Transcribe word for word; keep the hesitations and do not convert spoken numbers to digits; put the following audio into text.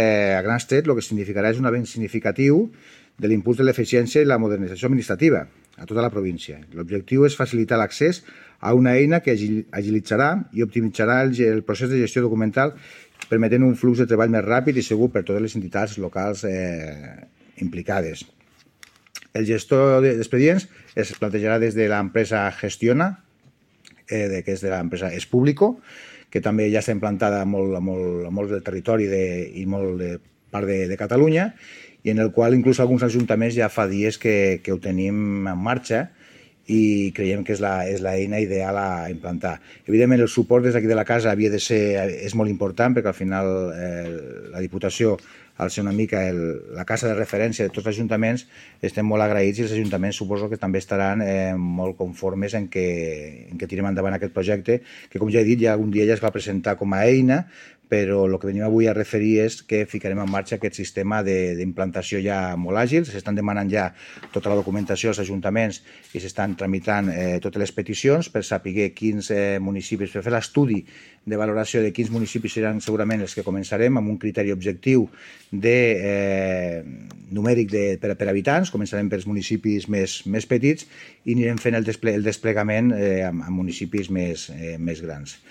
Eh, a grans trets, el que significarà és un avenç significatiu de l'impuls de l'eficiència i la modernització administrativa a tota la província. L'objectiu és facilitar l'accés a una eina que agilitzarà i optimitzarà el, el procés de gestió documental, permetent un flux de treball més ràpid i segur per totes les entitats locals eh, implicades. El gestor d'expedients es plantejarà des de l'empresa Gestiona, eh, que és de l'empresa Es Público, que també ja està implantada a molt, a molt, a molt del territori de, i molt de part de, de Catalunya, i en el qual inclús alguns ajuntaments ja fa dies que, que ho tenim en marxa i creiem que és la, és la eina ideal a implantar. Evidentment, el suport des d'aquí de la casa havia de ser, és molt important, perquè al final eh, la Diputació, al ser una mica el, la casa de referència de tots els ajuntaments, estem molt agraïts i els ajuntaments suposo que també estaran eh, molt conformes en que, en que tirem endavant aquest projecte, que com ja he dit, ja un dia ja es va presentar com a eina, però el que venim avui a referir és que ficarem en marxa aquest sistema d'implantació ja molt àgil. S'estan demanant ja tota la documentació als ajuntaments i s'estan tramitant eh, totes les peticions per saber quins eh, municipis, per fer l'estudi de valoració de quins municipis seran segurament els que començarem amb un criteri objectiu de, eh, numèric de, per, per habitants. Començarem pels municipis més, més petits i anirem fent el, desple el desplegament eh, amb, amb municipis més, eh, més grans.